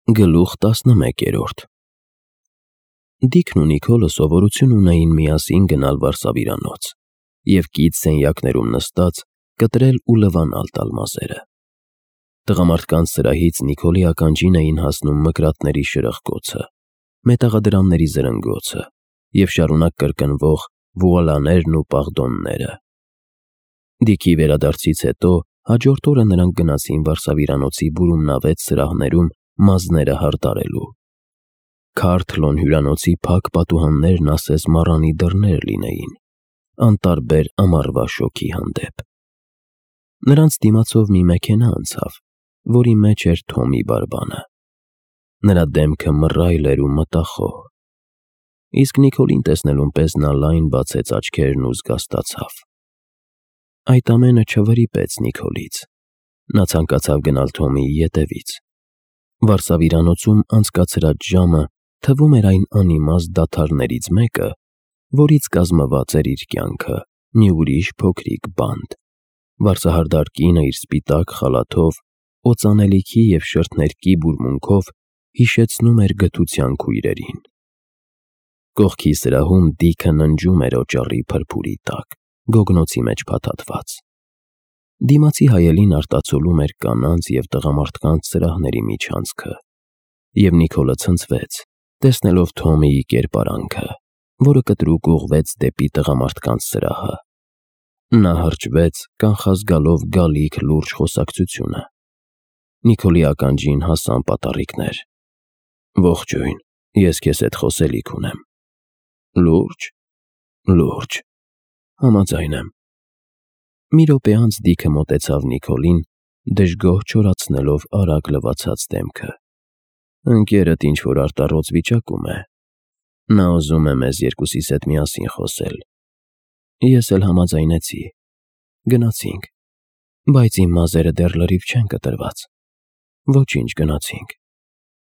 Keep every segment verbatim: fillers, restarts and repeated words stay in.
Գլուխ տասնմեկերորդ Դիքն ու Նիքոլը սովորություն ունեին միասին գնալ վարսավիրանոց և կից սենյակներում նստած կտրել ու լվանալ տալ մազերը։ Տղամարդկանց սրահից Նիքոլի ականջին էին հասնում մկրատների շրխկոցը, մետաղադրամների զրնգոցը և շարունակ կրկնվող վուալաներն ու պաղդոնները։ Դիքի վերադարձից հետո հաջորդ օրը նրանք գնացին վարսավիրանոցի բուրումնավետ սրահներում մազները հարդարելու։ Քարթլոն հյուրանոցի փակ պատուհաններն ասես մառանի դռներ լինեին, անտարբեր ամառվա շոգի հանդեպ։ Նրանց դիմացով մի մեքենա անցավ, որի մեջ էր Թոմի բարբանը։ Նրա դեմքը մռայլ էր ու մտախոհ, իսկ Նիքոլին տեսնելուն պես նա լայն բացեց աչքերն ու զգաստացավ։ Այդ ամենը չվրիպեց Նիքոլից։ Նա ցանկացավ գնալ Թոմիի ետևից։ Վարսավիրանոցում անցկացրած ժամը թվում էր այն անիմաստ դադարներից մեկը, որից կազմված էր իր կյանքը, մի ուրիշ փոքրիկ բանտ։ Վարսահարդար կինը իր սպիտակ խալաթով, օծանելիքի և շրթներքի բուրմունքով հիշեցնում էր գթության քույրերին։ Կողքի սրահում Դիքը ննջում էր օճառի փրփուրի տակ, գոգնոցի մեջ փաթաթված։ Դիմացի հայելին արտացոլում էր կանանց և տղամարդկանց սրահների միջանցքը, և Նիքոլը ցնցվեց, տեսնելով Թոմիի կերպարանքը, որը կտրուկ ուղղվեց դեպի տղամարդկանց սրահը։ Նա հրճվեց, կանխազգալով գալիք լուրջ խոսակցությունը։ Նիքոլի ականջին հասան պատառիկներ. «Ողջույն, ես քեզ հետ խոսելիք ունեմ»։ «Լուրջ»։ «Լուրջ»։ «Համաձայն եմ»։ Մի րոպե անց Դիքը մոտեցավ Նիքոլին, դժգոհ չորացնելով արագ լվացած դեմքը։ «Ընկերդ ինչ-որ արտառոց վիճակում է։ Նա ուզում է մեզ երկուսիս հետ միասին խոսել։ Ես էլ համաձայնեցի։ Գնացինք, բայց իմ մազերը դեռ լրիվ չեն կտրված»։ «Ոչինչ, գնացինք»։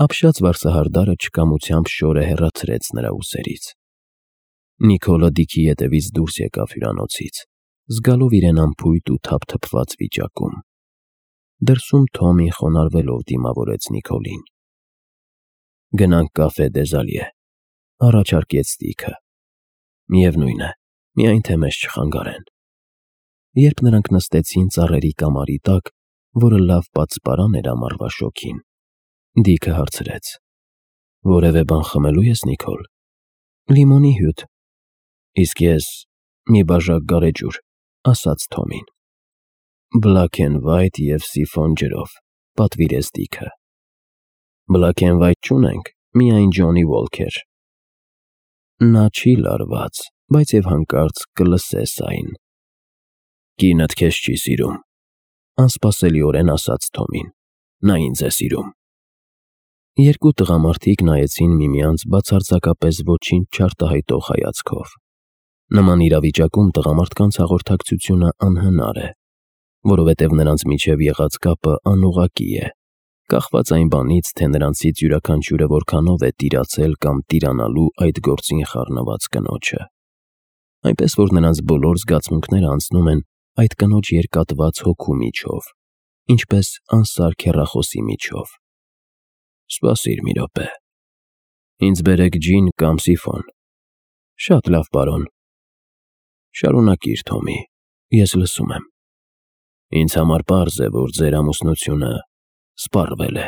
Ապշած վարսահարդարը չկամությամբ շորը հեռացրեց նրա ուսերից։ Նիքոլը Դիքի ետևից դուրս եկավ հյուրանոցից, զգալով իրեն անփույթ ու թափթփված վիճակում։ Դրսում Թոմին խոնարհվելով դիմավորեց Նիքոլին։ «Գնանք կաֆե Դեզալյե», առաջարկեց Դիքը։ «Միևնույն է, միայն թե մեզ չխանգարեն»։ Երբ նրանք նստեցին ծառերի կամարի տակ, որը լավ պատսպարան էր ամառվա շոգին, Դիքը հարցրեց. «Որևէ բան խմելու ես, Նիքոլ»։ «Լիմոնի հյութ»։ «Իսկ ես մի բաժակ գարեջուր», ասաց Թոմին։ «Black and white և սիֆոն ջրով», պատվիրեց Դիքը։ «Black and white չունենք, միայն Johnnie Walker»։ Նա չի լարված, բայց և հանկարծ կլսես այն։ «Կինդ քեզ չի սիրում», անսպասելիորեն ասաց Թոմին։ «Նա ինձ է սիրում»։ Երկու տղամարդիկ նայեցին միմյանց բացարձակապես ոչինչ չարտահայտող հայացքով։ Նման իրավիճակում տղամարդկանց հաղորդակցությունը անհնար է, որովհետև նրանց միջև եղած կապը անուղղակի է, կախված այն բանից, թե նրանցից յուրաքանչյուրը որքանով է տիրացել կամ տիրանալու այդ գործին խառնված կնոջը։ Այնպես որ նրանց բոլոր զգացմունքները անցնում են այդ կնոջ երկատված հոգու միջով, ինչպես անսարք հեռախոսի միջով։ «Սպասիր մի րոպե։ Ինձ բերեք ջին կամ սիֆոն»։ «Շատ լավ, պարոն»։ «Շարունակիր, Թոմի, ես լսում եմ»։ «Ինձ համար պարզ է, որ ձեր ամուսնությունը սպառվել է։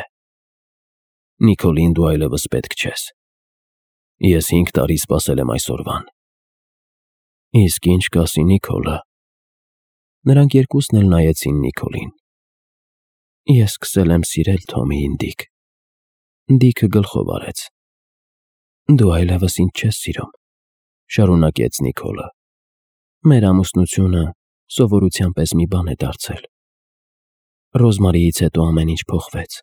Նիքոլին դու այլևս պետք չես։ Ես հինգ տարի սպասել եմ այսօրվան»։ «Իսկ ինչ կասի Նիքոլը»։ Նրանք երկուսն էլ նայեցին Նիքոլին։ «Ես սկսել եմ սիրել Թոմիին, Դիք»։ Դիքը գլխով արեց։ «Դու այլևս ինձ չես սիրում», շարունակեց Նիքոլը։ «Մեր ամուսնությունը սովորության պես մի բան է դարձել։ Ռոզմարիից հետո ամեն ինչ փոխվեց»։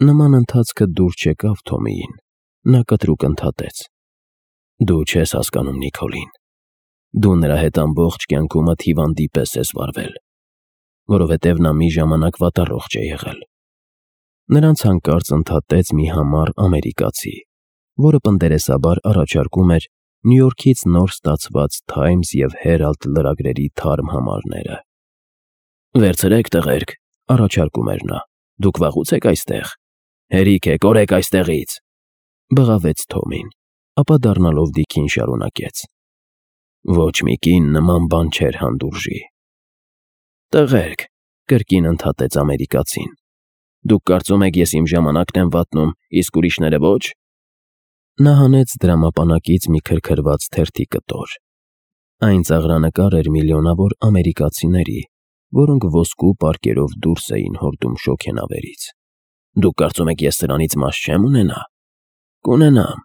Նման ընթացքը դուր չեկավ Թոմիին։ Նա կտրուկ ընդհատեց. «Դու չես հասկանում Նիքոլին։ Դու նրա հետ ամբողջ կյանքումդ հիվանդի պես ես վարվել, որովհետև նա մի ժամանակ վատառողջ է եղել»։ Նրանց հանկարծ ընդհատեց մի համառ ամերիկացի, որը պնդերեսաբար առաջարկում էր Նյու Յորքից նոր ստացված Times և Herald լրագրերի թարմ համարները։ «Վերցրեք, տղերք», առաջարկում էր նա, «դուք վաղուց եք այստեղ»։ Հերիք է, կորեք այստեղից, բղավեց Թոմին, ապա դառնալով Դիքին շարունակեց. Ոչ մի կին նման բան չէր հանդուրժի։ Տղերք, կրկին ընդհատեց ամերիկացին, դուք կարծում եք ես իմ ժամանակն եմ վատնում, իսկ ուրիշները ոչ։ Նա հանեց դրամապանակից մի քրքրված թերթի կտոր։ Այն ծաղրանկար էր միլիոնավոր ամերիկացիների, որոնք ոսկու պարկերով դուրս էին հորդում շոգենավերից։ Դուք կարծում եք ես սրանից մաս չեմ ունենա։ Կունենամ,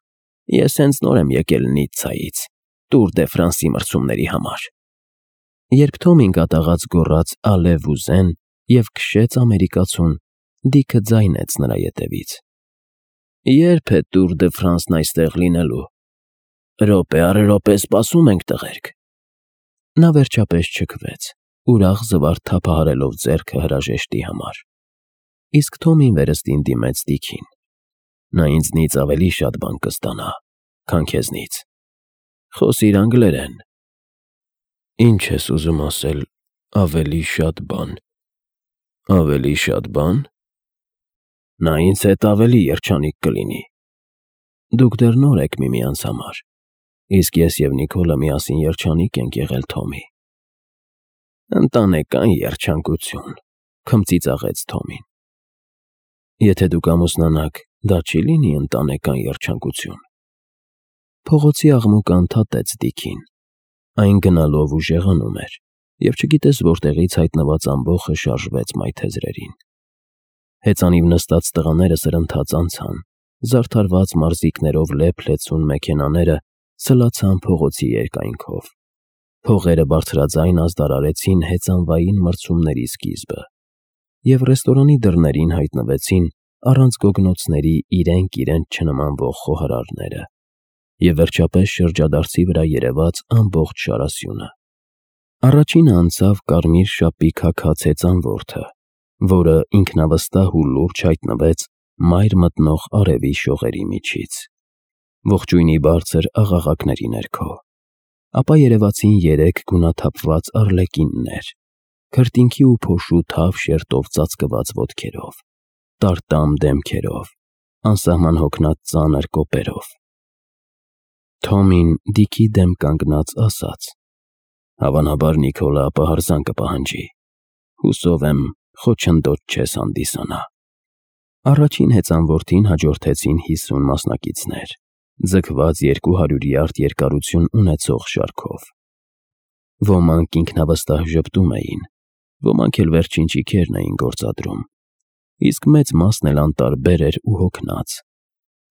ես հենց նոր եմ եկել Նիցցայից, Տուր դե Ֆրանսի մրցումների համար։ Երբ Թոմին կատաղած գոռաց «Ալև-ուզեն» և քշեց ամերիկացուն, Դիքը ձայնեց նրա ետևից. Երբ է Տուր դե Ֆրանսն այստեղ լինելու։ Րոպե առ րոպե սպասում ենք, տղերք։ Նա վերջապես չքվեց, ուրախ զվարթ թափահարելով ձեռքը հրաժեշտի համար։ Իսկ Թոմին վերստին դիմեց Դիքին. Նա ինձնից ավելի շատ բան կստանա, քան քեզնից։ Խոսիր անգլերեն։ Ինչ ես ուզում ասել, ավելի շատ բան։ Ավելի շատ բան։ Նա ինձ հետ ավելի երջանիկ կլինի։ Դուք դեռ նոր եք միմյանց համար, իսկ ես և Նիկոլը միասին երջանիկ ենք եղել, Թոմի։ Ընտանեկան երջանկություն, քմծիծաղեց Թոմին։ Եթե դուք ամուսնանաք, դա չի լինի ընտանեկան երջանկություն։ Փողոցի աղմուկը ընդհատեց Դիքին։ Այն գնալով ուժեղանում էր, և չգիտես որտեղից հայտնված ամբոխը շարժվեց մայթեզրերին։ Հեծանիվ նստած տղաները սրընթաց անցան, զարդարված մարզիկներով լեփ-լեցուն մեքենաները սլացան փողոցի երկայնքով։ Փողերը բարձրաձայն ազդարարեցին հեծանվային մրցումների սկիզբը, և ռեստորանի դռներին հայտնվեցին առանց գոգնոցների իրենք իրենց չնմանվող խոհարարները, և վերջապես շրջադարձի վրա երևաց ամբողջ շարասյունը։ Առաջինը անցավ կարմիր շապի քաքած հեծանվորդը, որը ինքնավստահ ու լուրջ հայտնվեց մայր մտնող արևի շողերի միջից, ողջույնի բարձր աղաղակների ներքո։ Ապա երևացին երեք գունաթափված արլեկիններ, քրտինքի ու փոշու թավ շերտով ծածկված ոտքերով, տարտամ դեմքերով, անսահման հոգնած ծանր կոպերով։ Թոմին Դիքի դեմ կանգնած ասաց. Հավանաբար Նիկոլը ապահարզան կպահանջի։ Հուսով եմ, խոչընդոտ չես հանդիսանա։ Առաջին հեծանվորդին հաջորդեցին հիսուն մասնակիցներ, ձգված երկու հարյուր յարդ երկարություն ունեցող շարքով։ Ոմանք ինքնավստահ ժպտում էին, ոմանք էլ վերջին ճիգերն էին գործադրում, իսկ մեծ մասն էլ անտարբեր էր ու հոգնած։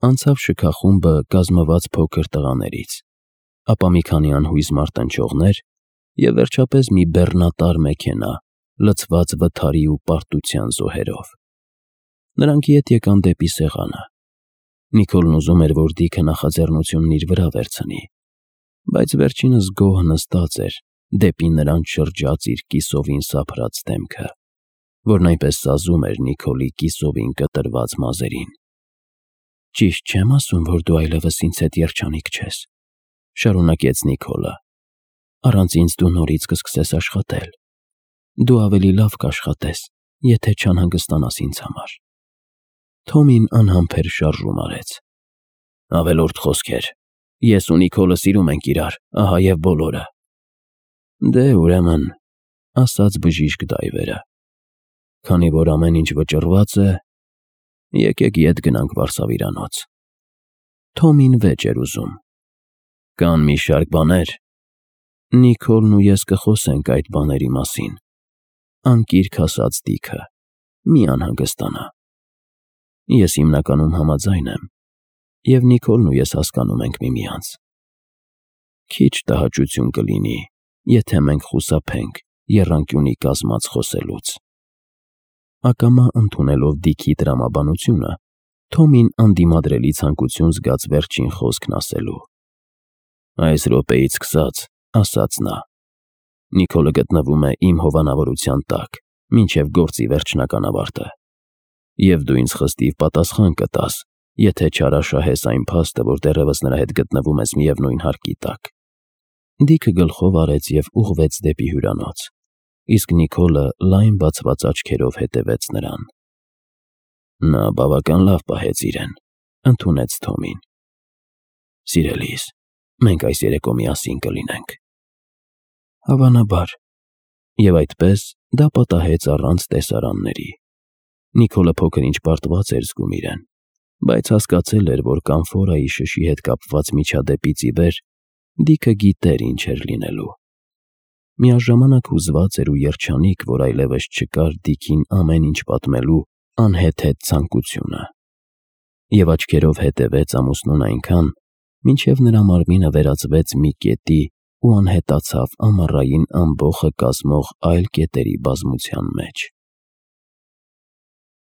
Անցավ շքախումբը կազմված փոքր տղաներից, ապա մի քանի անհույզ մարտնչողներ և վերջապես մի բեռնատար մեքենա, լցված վթարի ու պարտության զոհերով։ Նրանք ետ եկան դեպի սեղանը։ Նիկոլն ուզում էր, որ Դիքը նախաձեռնությունն իր վրա վերցնի, բայց վերջինս գոհ նստած էր, դեպի նրան շրջած իր կիսովին սափրած դեմքը, որն այնպես սազում էր Նիկոլի կիսովին կտրված մազերին։ Ճիշտ չեմ ասում, որ դու այլևս ինձ հետ երջանիկ չես, շարունակեց Նիկոլը։ Առանց ինձ դու նորից կսկսես աշխատել։ Դու ավելի լավ կաշխատես, եթե չանհանգստանաս ինձ համար։ Թոմին անհամբեր շարժում արեց. Ավելորդ խոսքեր։ Ես ու Նիկոլը սիրում ենք իրար, ահա և բոլորը։ Դե ուրեմն, ասաց բժիշկ դայվերը, քանի որ ամեն ինչ վճռված է, եկեք ետ գնանք վարսավիրանոց։ Թոմին վեճ էր ուզում։ Կան մի շարք բաներ։ Նիկոլն ու ես կխոսենք այդ բաների մասին, անկիրք ասաց Դիքը, մի անհանգստանա։ Ես հիմնականում համաձայն եմ, և Նիկոլն ու ես հասկանում ենք միմյանց։ Քիչ տհաճություն կլինի, եթե մենք խուսափենք եռանկյունի կազմած խոսելուց։ Ակամա ընդունելով Դիքի տրամաբանությունը, Թոմին անդիմադրելի ցանկություն զգաց վերջին խոսքն ասելու։ Այս րոպեից սկսած, ասաց նա, Նիկոլը գտնվում է իմ հովանավորության տակ, մինչև գործի վերջնական ավարտը, և դու ինձ խստիվ պատասխան կտաս, եթե չարաշահես այն փաստը, որ դեռևս նրա հետ գտնվում ես միևնույն հարկի տակ։ Դիքը գլխով արեց և ուղղվեց դեպի հյուրանոց, իսկ Նիկոլը լայն բացված աչքերով հետևեց նրան։ Նա բավական լավ պահեց իրեն, ընդունեց Թոմին։ Սիրելիս, մենք այս երեկո միասին կլինենք։ Հավանաբար։ Եվ այդպես դա պատահեց առանց տեսարանների։ Նիկոլը փոքր-ինչ պարտված էր զգում իրեն, բայց հասկացել էր, որ Կամֆորայի շշի հետ կապված միջադեպից ի վեր Դիքը գիտեր ինչ էր լինելու։ Միաժամանակ հուզված էր ու երջանիկ, որ այլևս չկար Դիքին ամեն ինչ պատմելու անհեթեթ ցանկությունը։ Եվ աչքերով հետևեց ամուսնուն այնքան, մինչև նրա մարմինը վերածվեց մի կետի ու անհետացավ ամառային ամբոխը կազմող այլ կետերի բազմության մեջ։